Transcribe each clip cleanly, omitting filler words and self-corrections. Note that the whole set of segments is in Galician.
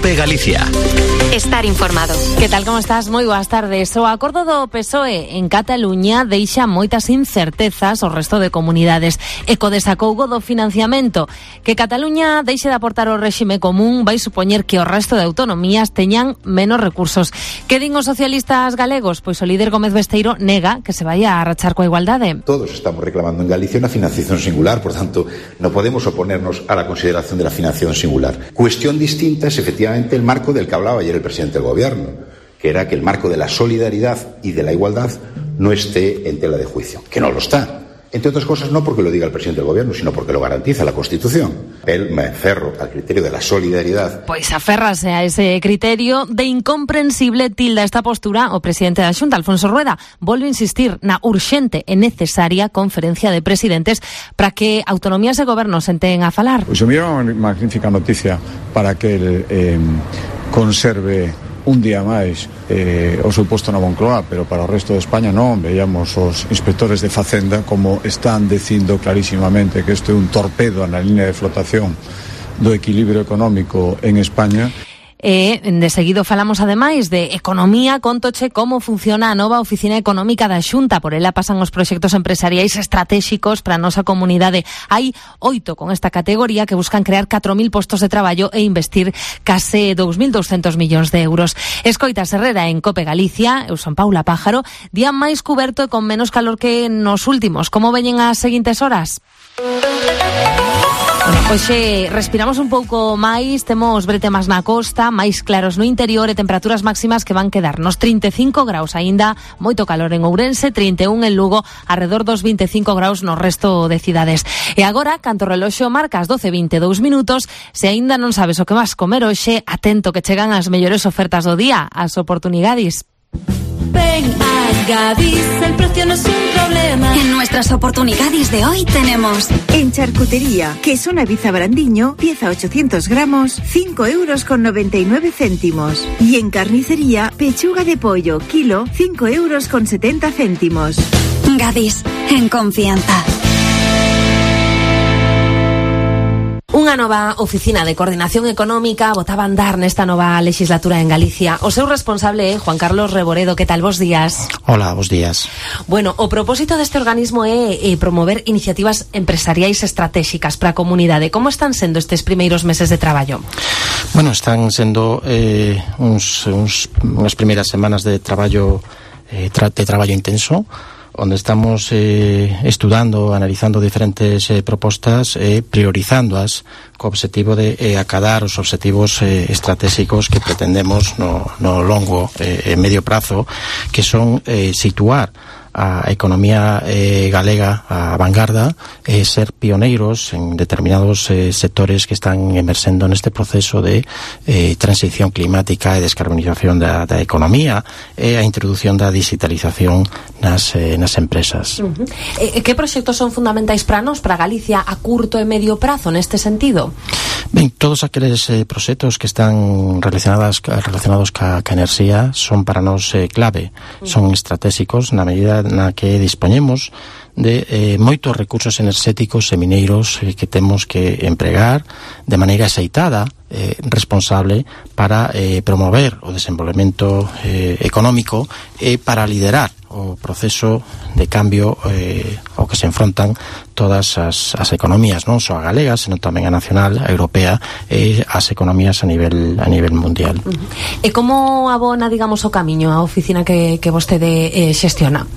COPE Galicia. Estar informado. Que tal, como estás? Moi boas tardes. O acordo do PSOE en Cataluña deixa moitas incertezas ao resto de comunidades e co desacougo do financiamento. Que Cataluña deixe de aportar o réxime común vai supoñer que o resto de autonomías teñan menos recursos. Que din os socialistas galegos? Pois o líder Gómez Besteiro nega que se vaya a rachar coa igualdade. Todos estamos reclamando en Galicia una financiación singular, por tanto, no podemos oponernos a la consideración de la financiación singular. Cuestión distinta es efectivamente el marco del que hablaba ayer el presidente del gobierno, que era que el marco de la solidaridad y de la igualdad no esté en tela de juicio, que no lo está. Entre otras cosas, no porque lo diga el presidente del gobierno, sino porque lo garantiza la Constitución. Él me aferro al criterio de la solidaridad. Pois aférrase a ese criterio. De incomprensible tilda esta postura o presidente da Xunta, Alfonso Rueda. Volve a insistir na urxente e necesaria conferencia de presidentes para que autonomías e gobernos senten a falar. Pois a mí é unha magnífica noticia para que el conserve un día máis o seu posto na Moncloa, pero para o resto de España non. Veíamos os inspectores de Facenda como están dicindo clarísimamente que isto é un torpedo na línea de flotación do equilibrio económico en España. E de seguido falamos ademais de economía, contoche como funciona a nova oficina económica da Xunta. Por ela pasan os proxectos empresariais estratégicos para a nosa comunidade. Hai 8 con esta categoría que buscan crear 4.000 postos de traballo e investir case 2.200 millóns de euros. Escoitas Herrera en COPE Galicia. Eu son Paula Pájaro. Día máis cuberto e con menos calor que nos últimos. Como veñen as seguintes horas? Hoxe respiramos un pouco máis, temos bretemas na costa, máis claros no interior e temperaturas máximas que van quedar nos 35 graus aínda, moito calor en Ourense, 31 en Lugo, arredor dos 25 graus no resto de cidades. E agora, canto o reloxo marca as 12:22 minutos, se aínda non sabes o que vas comer hoxe, atento que chegan as mellores ofertas do día, as oportunidades. Ven a Gadis, el precio no es un problema. En nuestras oportunidades de hoy tenemos en charcutería, queso Naviza Brandiño, pieza 800 gramos, 5,99 €. Y en carnicería, pechuga de pollo, kilo, 5,70 €. Gadis, en confianza. Unha nova oficina de coordinación económica botaba a andar nesta nova legislatura en Galicia. O seu responsable é Juan Carlos Reboredo. Que tal? Bos días. Hola, bos días. Bueno, o propósito deste organismo é promover iniciativas empresariais estratégicas para a comunidade. Como están sendo estes primeiros meses de traballo? Bueno, están sendo unhas primeiras semanas de traballo intenso, onde estamos estudando, analizando diferentes propostas e priorizándoas co obxectivo de acadar os obxectivos estratégicos que pretendemos no longo e medio prazo, que son situar a economía galega a vanguarda e ser pioneiros en determinados sectores que están emerxendo neste proceso de transición climática e descarbonización da economía e a introducción da digitalización nas empresas. Que proxectos son fundamentais para nós, para Galicia, a curto e medio prazo neste sentido? Ben, todos aqueles proxectos que están relacionados ca enerxía son para nós clave, son estratégicos na medida na que dispoñemos de moitos recursos enerxéticos e mineiros que temos que empregar de maneira axeitada, responsable, para promover o desenvolvemento económico e para liderar o proceso de cambio ao que se enfrontan todas as economías, non só a galega, senón tamén a nacional, a europea e as economías a nivel mundial. E como abona, digamos, o camiño a oficina que vostede xestiona?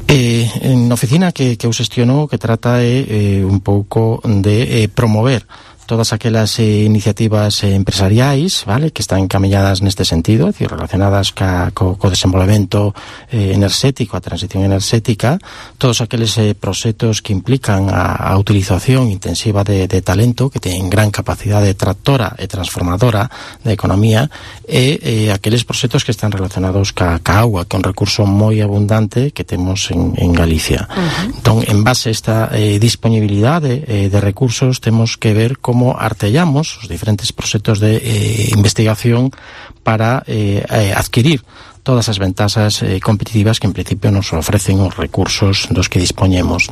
En oficina que eu xestiono, que trata un pouco de promover todas aquelas iniciativas empresariais, vale, que están encamiñadas neste sentido, é dicir, relacionadas co desenvolvemento enerxético, a transición enerxética, todos aqueles proxectos que implican a utilización intensiva de talento, que teñen gran capacidade tractora e transformadora da economía, e aqueles proxectos que están relacionados ca agua, que é un recurso moi abundante que temos en Galicia. Entón, en base a esta disponibilidade de recursos, temos que ver como artellamos os diferentes proxectos de investigación para adquirir todas as ventaxas competitivas que en principio nos ofrecen os recursos dos que dispoñemos.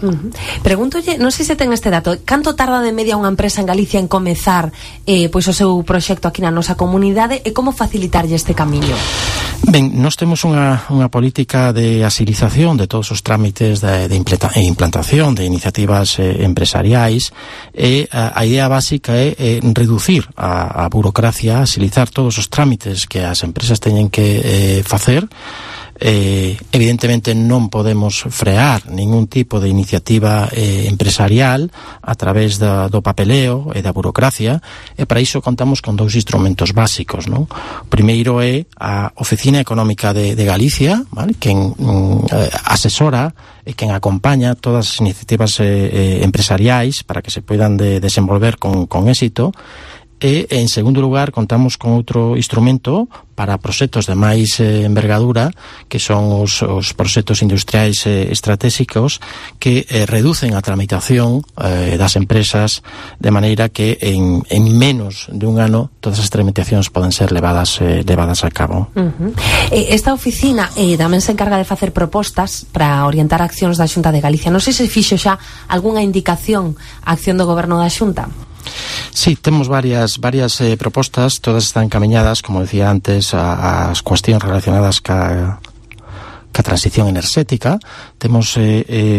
Pregúntolle, non sei se ten este dato, canto tarda de media unha empresa en Galicia en comezar pois o seu proxecto aquí na nosa comunidade e como facilitarlle este camiño? Ben, nós temos unha política de agilización de todos os trámites de implantación de iniciativas empresariais e a idea básica é reducir a burocracia, agilizar todos os trámites que as empresas teñen que facer. Evidentemente non podemos frear ningún tipo de iniciativa empresarial a través do papeleo e da burocracia, e para iso contamos con dous instrumentos básicos, non? O primeiro é a Oficina Económica de Galicia, ¿vale? Quen asesora e quen acompaña todas as iniciativas empresariais para que se poidan desenvolver con éxito. E, en segundo lugar, contamos con outro instrumento para proxectos de máis envergadura, que son os proxectos industriais estratégicos que reducen a tramitación das empresas de maneira que en menos de un ano todas as tramitacións poden ser levadas a cabo. Esta oficina tamén se encarga de facer propostas para orientar accións da Xunta de Galicia. Non sei se fixo xa algunha indicación a acción do Goberno da Xunta. Sí, temos varias propostas, todas están encaminhadas, como decía antes, ás cuestións relacionadas ca transición enerxética. Temos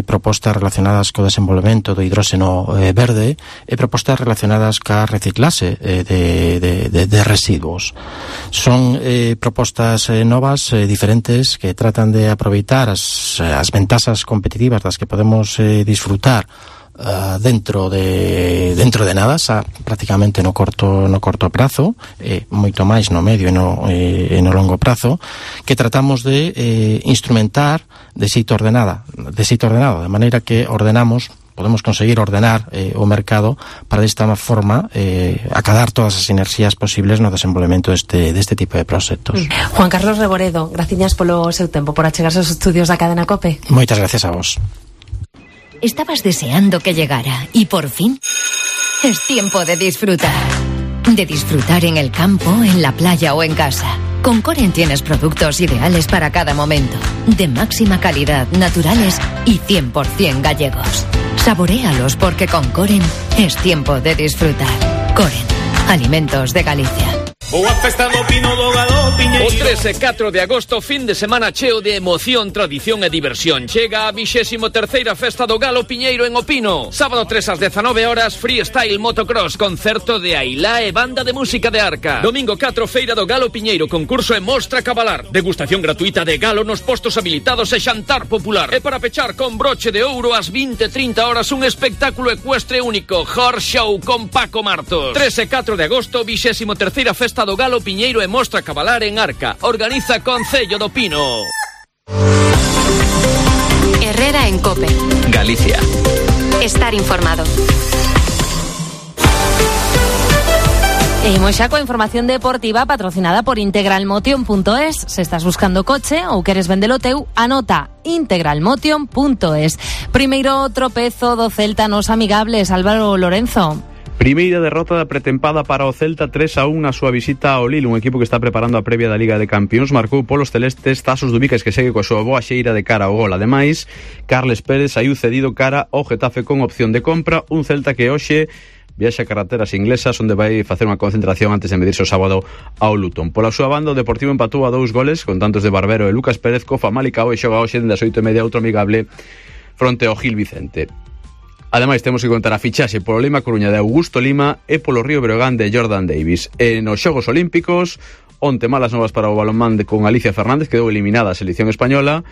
propostas relacionadas co desenvolvemento do hidróxeno verde e propostas relacionadas ca reciclase de residuos. Son propostas novas, diferentes, que tratan de aproveitar as ventaxas competitivas das que podemos disfrutar dentro de nada, xa prácticamente no corto prazo, moito máis no medio e no longo prazo, que tratamos de instrumentar de xeito ordenado, de maneira que podemos conseguir ordenar o mercado para desta forma acadar todas as enerxías posibles no desenvolvemento deste tipo de proxectos. Juan Carlos Reboredo, graciñas polo seu tempo, por achegarse aos estudios da Cadena COPE. Moitas gracias a vos. Estabas deseando que llegara y por fin es tiempo de disfrutar. De disfrutar en el campo, en la playa o en casa. Con Coren tienes productos ideales para cada momento. De máxima calidad, naturales y 100% gallegos. Saboréalos porque con Coren es tiempo de disfrutar. Coren, alimentos de Galicia. Boa festa do Pino do Galo Piñeiro. O 13 e 4 de agosto, fin de semana cheo de emoción, tradición e diversión. Chega a 23ª Festa do Galo Piñeiro en O Pino. Sábado 3 ás 19 horas, freestyle motocross, concerto de Ailá e banda de música de Arca. Domingo 4, Feira do Galo Piñeiro, concurso e mostra cabalar. Degustación gratuita de galo nos postos habilitados e xantar popular. E para pechar con broche de ouro ás 20:30 horas un espectáculo ecuestre único, Horse Show con Paco Martos. 3 e 4 de agosto, 23ª Festa do Galo Piñeiro e mostra cabalar en Arca. Organiza Concello do Pino. Herrera en COPE. Galicia. Estar informado. Imos xa coa información deportiva patrocinada por integralmotion.es. Se estás buscando coche ou queres vendelo teu, anota integralmotion.es. Primeiro tropezo do Celta nos amigables, Álvaro Lorenzo. Primeira derrota da pretempada para o Celta 3-1 na súa visita ao Lille, un equipo que está preparando a previa da Liga de Campións. Marcou polos celestes Tasos Dubicas, que segue coa súa boa xeira de cara ao gol. Ademais, Carles Pérez saiu cedido cara ao Getafe con opción de compra, un Celta que hoxe viaxa a carreteras inglesas, onde vai facer unha concentración antes de medirse o sábado ao Luton. Pola súa banda, o Deportivo empatou a 2 goles con tantos de Barbero e Lucas Pérez. Co Famalicao e xoga hoxe dende as 8:30 outro amigable fronte ao Gil Vicente. Ademais, temos que contar a fichaxe polo Lima Coruña de Augusto Lima e polo Río Breogán de Jordan Davis. E nos Xogos Olímpicos, onte malas novas para o balonmán con Alicia Fernández, quedou eliminada a selección española.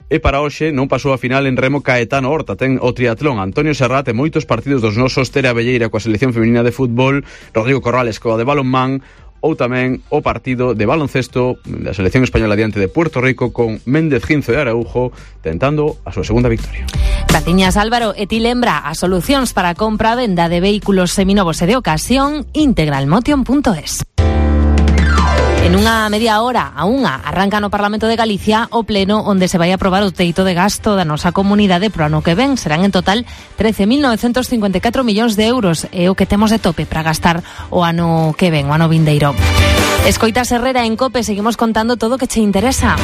E para hoxe non pasou a final en remo Caetano Horta. Ten o triatlón Antonio Serrat e moitos partidos dos nosos, Tere Abelleira coa selección feminina de fútbol, Rodrigo Corrales coa de balonmán, ou tamén o partido de baloncesto da selección española diante de Puerto Rico con Méndez Ginzo e Araujo tentando a súa segunda victoria. Graciñas, Álvaro. E ti lembra as solucións para a compra e venda de vehículos seminovos e de ocasión, integralmotion.es. En unha media hora a unha arranca no Parlamento de Galicia o pleno onde se vai aprobar o teito de gasto da nosa comunidade pro ano que ven. Serán en total 13.954 millóns de euros. É o que temos de tope para gastar o ano que ven, o ano vindeiro. Escoitas Herrera en COPE, seguimos contando todo que te interesa.